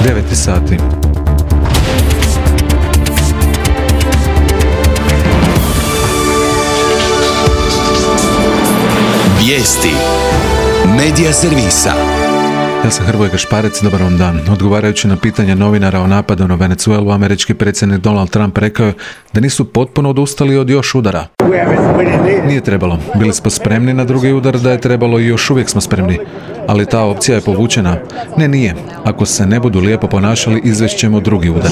9 sati. Vijesti Medija servisa. Ja sam Hrvoje Gašparec, dobar vam dan. Odgovarajući na pitanje novinara o napadu na Venezuelu, američki predsjednik Donald Trump rekao je da nisu potpuno odustali od još udara. Nije trebalo. Bili smo spremni na drugi udar, da je trebalo i još uvijek smo spremni. Ali ta opcija je povučena. Ne, nije. Ako se ne budu lijepo ponašali, izvešćemo drugi udar.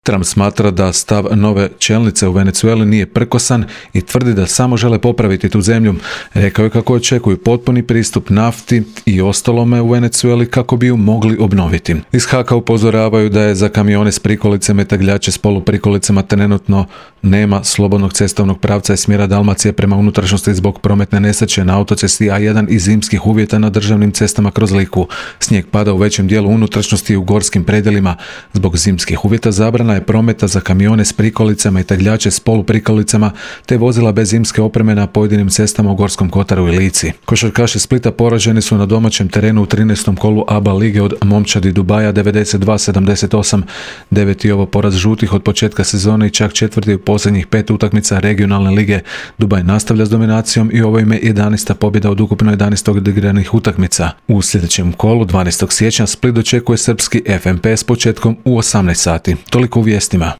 Trump smatra da stav nove čelnice u Venezueli nije prkosan i tvrdi da samo žele popraviti tu zemlju. Rekao je kako očekuju potpuni pristup nafti i ostalome u Venezueli kako bi ju mogli obnoviti. Iz Haka upozoravaju da je za kamione s prikolicama i tegljače s poluprikolicama trenutno nema slobodnog cestovnog pravca iz smjera Dalmacije prema unutrašnjosti zbog prometne nesreće na autocesti A1 i zimskih uvjeta na državnim cestama kroz Liku. Snijeg pada u većem dijelu unutrašnjosti i u gorskim predjelima. Zbog zimskih uvjeta zabrana je prometa za kamione s prikolicama i tegljače s poluprikolicama te vozila bez zimske opreme na pojedinim cestama u Gorskom Kotaru i Lici. Košarkaši Splita poraženi su na domaćem terenu u 13. kolu ABA lige od Momčadi Dubaja 92-78. Deveti ovo poraz žutih od početka sezone i čak četvrti u posljednjih 5 utakmica regionalne lige. Dubaj nastavlja s dominacijom i ovo im je 11. pobjeda od ukupno 11 odigranih utakmica. U sljedećem kolu 12. siječnja Split dočekuje srpski FNP s početkom u 18 sati. Toliko u vijestima.